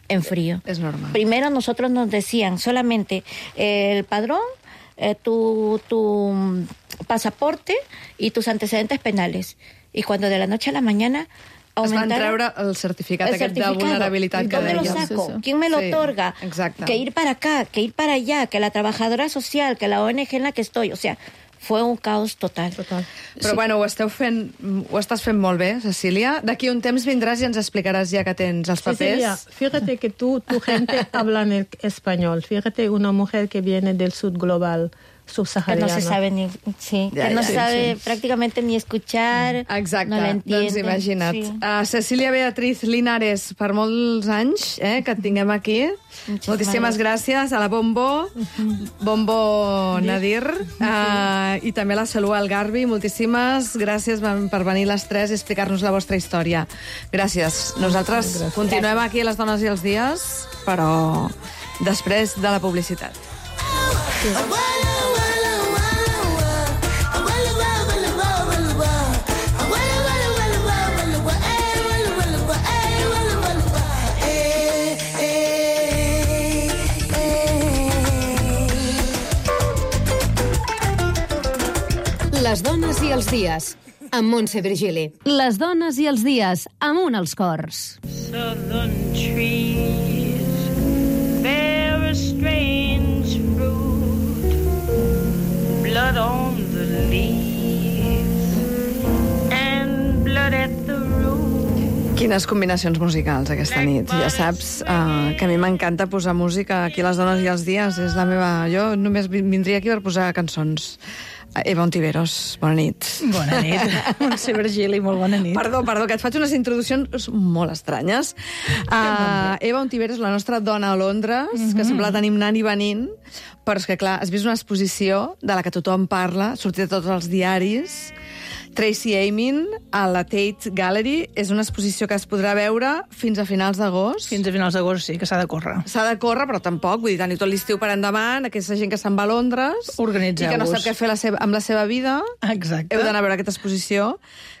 Es normal. Primero nosotros nos decían solamente el padrón, tu pasaporte y tus antecedentes penales. Y cuando de la noche a la mañana aumentaron... Es van treure el certificat aquest de vulnerabilitat que ¿Dónde lo saco? ¿Quién me lo otorga? Exacte. Que ir para acá, que ir para allá, que la trabajadora social, que la ONG en la que estoy. O sea, fue un caos total. Però bueno, ho estàs fent molt bé, Cecília. D'aquí un temps vindràs i ens explicaràs ja que tens els papers. Cecilia, fíjate que tu gente habla en español. Fíjate, una mujer que viene del sur global, subsahariana. Que no se sabe ni... Sí, que no sabe prácticamente ni escuchar. Exacte, no l'entiende. doncs imagina't. Sí. Cecília Beatriz Linares, per molts anys que et tinguem aquí. Moltíssimes gràcies a la Bombo Nadir, i també a la Salú Algarbi. Moltíssimes gràcies per venir les tres i explicar-nos la vostra història. Gràcies. Nosaltres continuem aquí a Les Dones i els Dies, però després de la publicitat. Les dones i els dies, amb Montse Virgili. Les dones i els dies, amunt als cors. Southern trees bear a strange fruit, blood on the leaves and blood at the root. Quines combinacions musicals aquesta nit. Ja saps que a mi m'encanta posar música aquí a Les Dones i els Dies. És la meva... Jo només vindria aquí per posar cançons. Eva Ontiveros, bona nit. Bona nit. Montse Virgili, molt bona nit. Perdó, que et faig unes introduccions molt estranyes. Eva Ontiveros, la nostra dona a Londres, que sembla tenim anant i venint, però és que, clar, has vist una exposició de la que tothom parla, sortit de tots els diaris, Tracey Emin, a la Tate Gallery. És una exposició que es podrà veure fins a finals d'agost. Fins a finals d'agost, sí, que s'ha de córrer. S'ha de córrer, però tampoc. Vull dir, teniu tot l'estiu per endavant, aquesta gent que se'n va a Londres organitzeu-vos. I que no sap què fer amb la seva vida. Exacte. Heu d'anar a veure aquesta exposició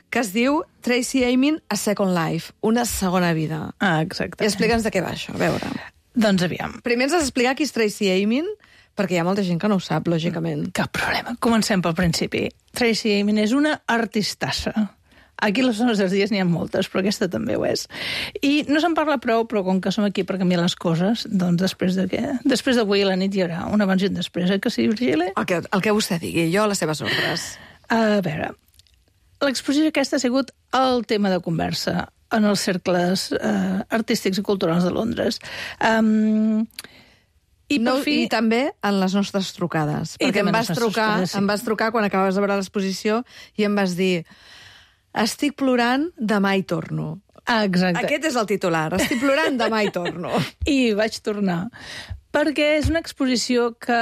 que es diu Tracey Emin, A Second Life, una segona vida. Exacte. I explica'ns de què va això, a veure. Doncs aviam. Primer ens has d'explicar qui és Tracey Emin, perquè hi ha molta gent que no ho sap, lògicament. Cap problema. Comencem pel principi. Tracey Emin és una artistassa. Aquí a Les Dones dels Dies n'hi ha moltes, però aquesta també ho és. I no se'n parla prou, però com que som aquí per canviar les coses, doncs després d'avui a la nit hi haurà un abans i un després, que sí, Virgili? El que vostè digui, jo a les seves ordres. A veure, l'exposició aquesta ha sigut el tema de conversa. en els cercles artístics i culturals de Londres. I també en les nostres trucades. Perquè em vas trucar quan acabaves de veure l'exposició i em vas dir: estic plorant, demà hi torno. Exacte. Aquest és el titular. Estic plorant, demà hi torno. I vaig tornar. Perquè és una exposició que...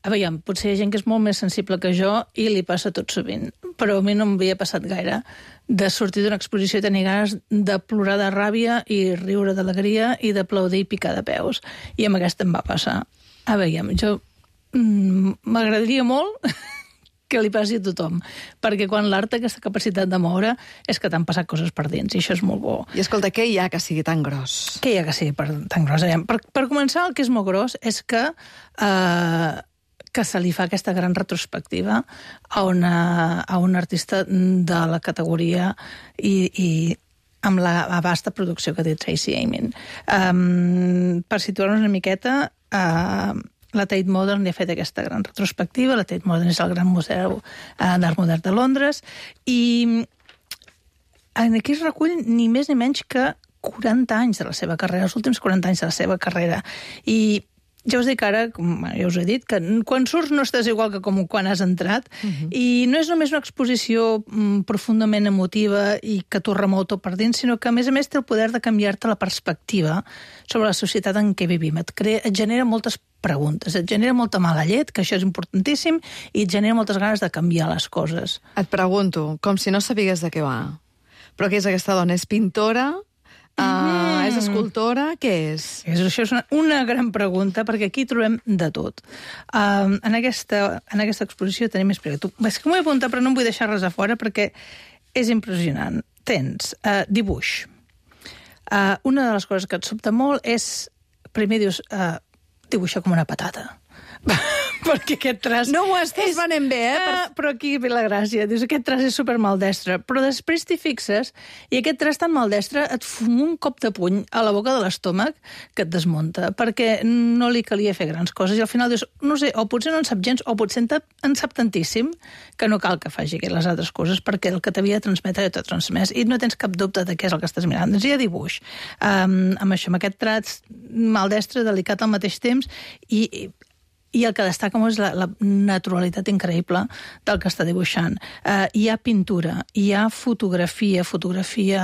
A veure, potser hi ha gent que és molt més sensible que jo i li passa tot sovint, però a mi no m'havia passat gaire de sortir d'una exposició i tenir ganes de plorar de ràbia i riure d'alegria i d'aplaudir i picar de peus. I amb aquesta em va passar. A veure, jo m'agradaria molt que li passi a tothom, perquè quan l'art té aquesta capacitat de moure és que t'han passat coses per dins, i això és molt bo. I escolta, què hi ha que sigui tan gros? Què hi ha que sigui tan gros? Per començar, el que és molt gros és que se li fa aquesta gran retrospectiva a un artista de la categoria i amb la vasta producció que té Tracey Emin. Per situar-nos una miqueta, la Tate Modern li ha fet aquesta gran retrospectiva. La Tate Modern és el gran museu d'art modern de Londres, i aquí es recull ni més ni menys que 40 anys de la seva carrera, els últims 40 anys de la seva carrera. I ja us dic ara, ja us he dit, que quan surts no estàs igual que com quan has entrat, i no és només una exposició profundament emotiva i que t'ho remou tot per dins, sinó que, a més té el poder de canviar-te la perspectiva sobre la societat en què vivim. Et genera moltes preguntes, et genera molta mala llet, que això és importantíssim, i et genera moltes ganes de canviar les coses. Et pregunto, com si no sabigués de què va. Però què és aquesta dona? És pintora? És escultora? Què és? Això és una gran pregunta, perquè aquí trobem de tot. En aquesta exposició tenim més preguntes. És que m'ho he apuntat, però no em vull deixar res a fora, perquè és impressionant. Tens dibuix. Una de les coses que et sobta molt és, primer dius, dibuixa com una patata. Perquè aquest traç... No ho estàs venent bé, Però aquí ve la gràcia. Dius, aquest traç és supermaldestre. Però després t'hi fixes i aquest traç tan maldestre et fuma un cop de puny a la boca de l'estómac que et desmunta, perquè no li calia fer grans coses. I al final dius, no sé, o potser no en sap gens, o potser en sap tantíssim que no cal que faci les altres coses, perquè el que t'havia de transmetre ja t'ho transmès. I no tens cap dubte de què és el que estàs mirant. Doncs hi ha dibuix. Amb aquest traç maldestre, delicat al mateix temps, i el que destaca molt és la naturalitat increïble del que està dibuixant. Hi ha pintura, hi ha fotografia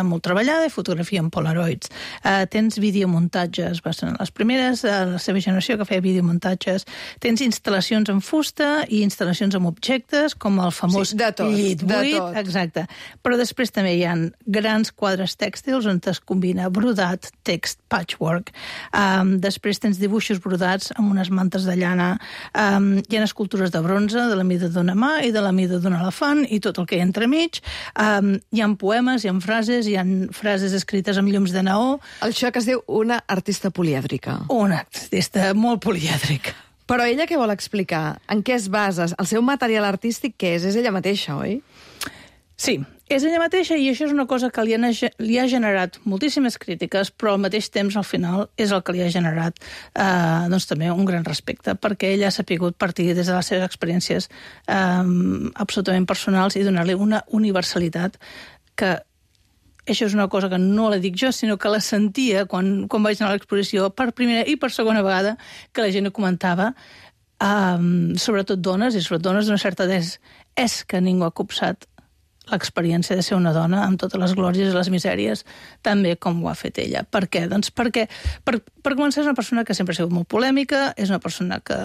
molt treballada i fotografia en polaroids. Tens videomuntatges, va ser les primeres de la seva generació que feia videomuntatges. Tens instal·lacions en fusta i instal·lacions amb objectes, com el famós llit buit. Exacte. Però després també hi ha grans quadres tèxtils on es combina brodat, text, patchwork. Després tens dibuixos brodats amb unes mantes de llana. Hi ha escultures de bronze de la mida d'una mà i de la mida d'un elefant i tot el que hi ha entremig. Hi ha poemes, hi ha frases escrites amb llums de neó. Això que es diu una artista polièdrica. Una artista molt polièdrica. Però ella què vol explicar? En què es basa? El seu material artístic què és? És ella mateixa, oi? Sí, és ella mateixa, i això és una cosa que li ha generat moltíssimes crítiques, però al mateix temps, al final, és el que li ha generat doncs, també un gran respecte, perquè ella ha sapigut partir des de les seves experiències absolutament personals i donar-li una universalitat que això és una cosa que no la dic jo, sinó que la sentia quan vaig anar a l'exposició per primera i per segona vegada, que la gent ho comentava, sobretot dones, i sobretot dones d'una certa edat, és que ningú ha copsat l'experiència de ser una dona amb totes les glòries i les misèries, també com ho ha fet ella. Per què? Doncs perquè, per començar, és una persona que sempre ha sigut molt polèmica, és una persona que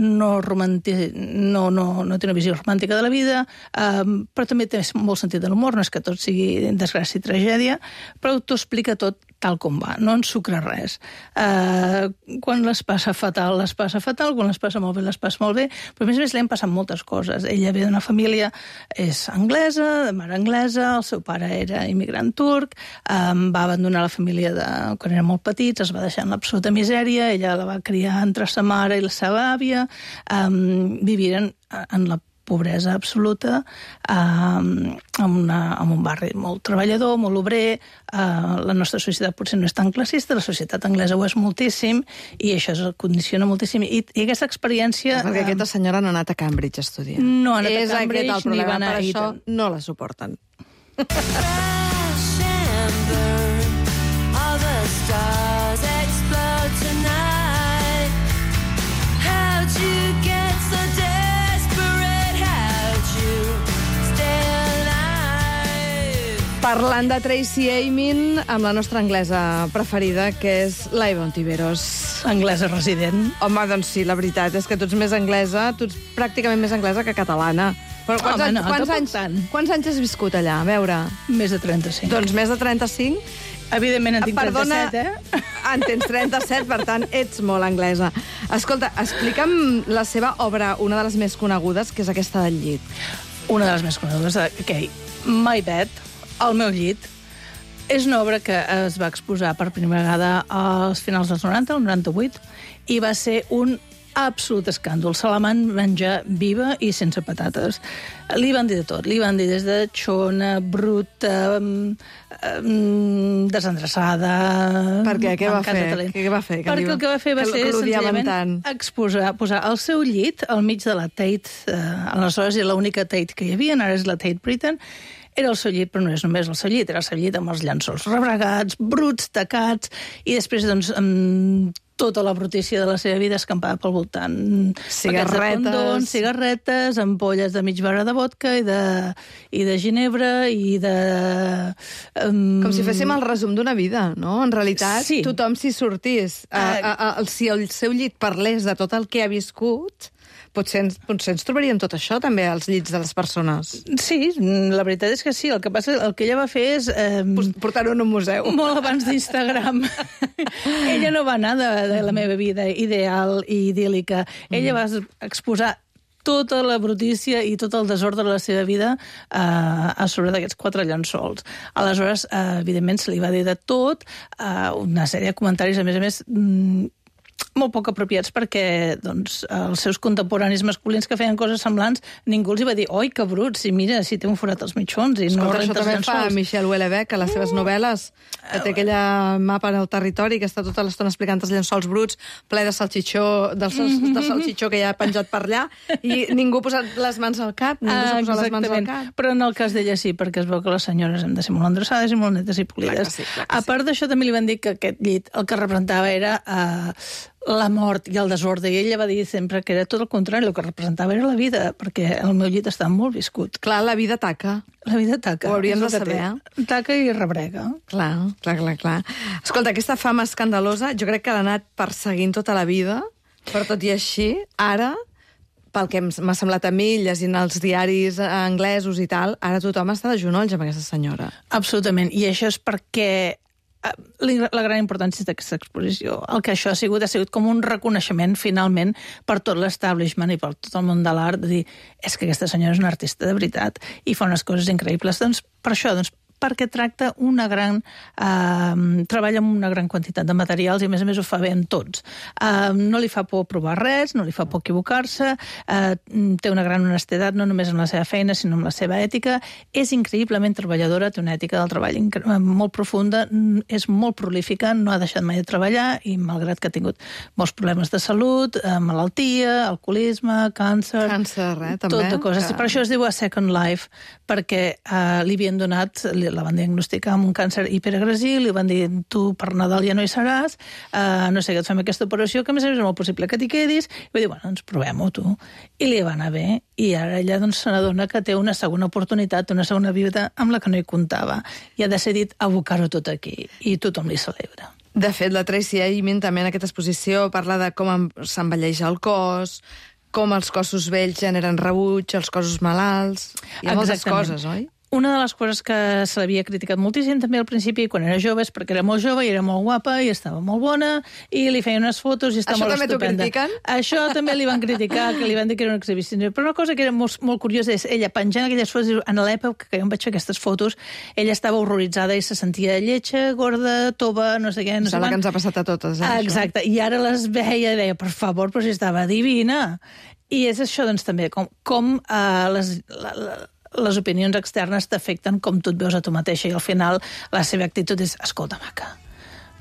no té una visió romàntica de la vida, però també té molt sentit de l'humor, no és que tot sigui desgràcia i tragèdia, però t'ho explica tot tal com va, no ensucra res. Quan les passa fatal, quan les passa molt bé, les passa molt bé, però a més li han passat moltes coses. Ella ve d'una família, és anglesa, de mare anglesa, el seu pare era immigrant turc, va abandonar la família quan eren molt petits, es va deixar en l'absoluta misèria, ella la va criar entre sa mare i la seva àvia, viviren en la pobresa absoluta, en un barri molt treballador, molt obrer. La nostra societat potser no és tan classista, la societat anglesa ho és moltíssim, i això es condiciona moltíssim. I aquesta experiència... Perquè aquesta senyora no ha anat a Cambridge a estudiar. No ha anat a Cambridge, ni va anar a Eton. Per això no la suporten. together. All the stars explode tonight. How'd you get so desperate? How'd you stay alive? Parlant de Tracy Emin amb la nostra anglesa preferida, que és l'Eva Ontiveros. Anglesa resident. Home, doncs sí, la veritat és que tu ets més anglesa, tu ets pràcticament més anglesa que catalana. Però quants anys has viscut allà? A veure... Més de 35. Doncs més de 35? Evidentment en tinc 37, En tens 37, per tant, ets molt anglesa. Escolta, explica'm la seva obra, una de les més conegudes, que és aquesta del llit. Una de les més conegudes, My Bed, el meu llit. És una obra que es va exposar per primera vegada als finals dels 90, el 98, i va ser un absolut escàndol. Se la van menjar viva i sense patates. Li van dir de tot. Li van dir des de xona, bruta, desendreçada... Per què? Què va fer? Perquè el que va fer va ser senzillament posar el seu llit al mig de la Tate. Aleshores era l'única Tate que hi havia, ara és la Tate Britain. Era el seu llit, però no és només el seu llit, era el seu llit amb els llençols rebregats, bruts, tacats, i després, doncs, amb tota la brutícia de la seva vida escampada pel voltant. Cigarretes, ampolles de mig barra de vodka i de ginebra i de... Com si féssim el resum d'una vida, no? En realitat, sí. Tothom s'hi sortís. Si el seu llit parlés de tot el que ha viscut... Potser ens trobaríem tot això, també, als llits de les persones. Sí, la veritat és que sí. El que passa, el que ella va fer és... portar-ho en un museu. Molt abans d'Instagram. Ella no va anar de la meva vida ideal i idíl·lica. Ella va exposar tota la brutícia i tot el desordre de la seva vida a sobre d'aquests 4 llençols. Aleshores, evidentment, se li va dir de tot, una sèrie de comentaris, a més, molt poc apropiats perquè doncs, els seus contemporanis masculins que feien coses semblants, ningú els hi va dir oi, que bruts, i mira, si té un forat als mitjons i no renta els llençols. Això també fa Michel Houellebecq a les seves novel·les, que té aquella mapa en el territori que està tota l'estona explicant els llençols bruts, ple de salxitxó, de salxitxó que hi ha penjat per allà, i ningú ha posat les mans al cap, ningú s'ha posat les mans al cap. Però en el cas d'ella sí, perquè es veu que les senyores hem de ser molt endreçades i molt netes i polides. A part d'això, també li van dir que aquest llit el que representava era la mort i el desordre, i ella va dir sempre que era tot el contrari, el que representava era la vida, perquè el meu llit estava molt viscut. Clar, la vida taca. La vida taca. Ho hauríem de saber. Taca i rebrega. Clar. Escolta, aquesta fama escandalosa jo crec que l'ha anat perseguint tota la vida, però tot i així, ara, pel que m'ha semblat a mi, llegint els diaris anglesos i tal, ara tothom està de genolls amb aquesta senyora. Absolutament, i això és perquè la gran importància d'aquesta exposició. El que això ha sigut com un reconeixement, finalment, per tot l'establishment i per tot el món de l'art, de dir, és que aquesta senyora és una artista de veritat i fa unes coses increïbles. Doncs per això, perquè tracta treballa amb una gran quantitat de materials i, a més ho fa bé en tots. No li fa por provar res, no li fa por equivocar-se, té una gran honestedat, no només amb la seva feina, sinó amb la seva ètica. És increïblement treballadora, té una ètica del treball molt profunda, és molt prolífica, no ha deixat mai de treballar i, malgrat que ha tingut molts problemes de salut, malaltia, alcoholisme, càncer... També. Tot de coses. Per això es diu A Second Life, perquè li havien donat... La van diagnosticar amb un càncer hiperagressiu, li van dir, tu per Nadal ja no hi seràs, no sé, que et fem aquesta operació, que a més és molt possible que t'hi quedis, i va dir, bueno, doncs provem-ho tu. I li va anar bé, i ara ella se n'adona que té una segona oportunitat, una segona vida amb la que no hi comptava, i ha decidit abocar-ho tot aquí, i tothom li celebra. De fet, la Tracy Emin també en aquesta exposició parla de com s'envelleix el cos, com els cossos vells generen rebuig, els cossos malalts... Hi ha moltes coses, oi? Una de les coses que se l'havia criticat moltíssim també al principi, quan era jove, és perquè era molt jove i era molt guapa i estava molt bona i li feien unes fotos i estava molt estupenda. Això també t'ho critiquen? Això també li van criticar, que li van dir que era una exhibició. Però una cosa que era molt curiosa és ella penjant aquelles fotos, en l'època que jo em vaig fer aquestes fotos, ella estava horroritzada i se sentia lletja, gorda, tova, no sé què. No sé que ens ha passat a totes, Exacte, i ara les veia i deia, per favor, però si estava divina. I és això, doncs, també, com les opinions externes t'afecten com tu et veus a tu mateixa i al final la seva actitud és, escolta, maca,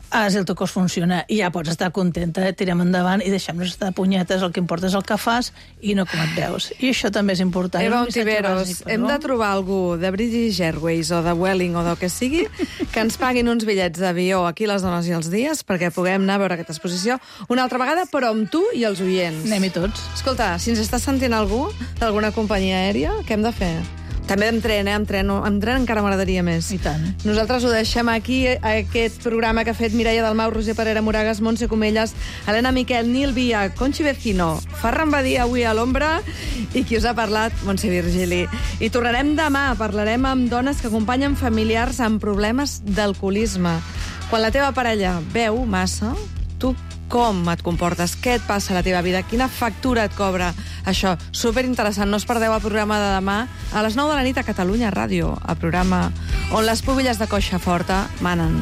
si el teu cos funciona i ja pots estar contenta, tirem endavant i deixem-nos estar punyetes, el que importa és el que fas i no com et veus. I això també és important. Eva Ontiveros, hem de trobar algú de British Airways o de Vueling o del que sigui que ens paguin uns bitllets d'avió aquí a Les Dones i els Dies perquè puguem anar a veure aquesta exposició una altra vegada, però amb tu i els oients. Anem-hi tots. Escolta, si ens està sentint algú d'alguna companyia aèria, què hem de fer? També amb tren, amb tren encara m'agradaria més. I tant. Nosaltres ho deixem aquí, aquest programa que ha fet Mireia Dalmau, Roger Parera Moragas, Montse Comelles, Helena Miquel, Nil Via, Conchi Vecino, Ferran Badia avui a l'ombra i qui us ha parlat, Montse Virgili. I tornarem demà, parlarem amb dones que acompanyen familiars amb problemes d'alcoholisme. Quan la teva parella beu massa, tu com et comportes? Què et passa a la teva vida? Quina factura et cobra això? Superinteressant. No us perdeu el programa de demà a les 9 de la nit a Catalunya Ràdio, el programa on les pubilles de coixa forta manen.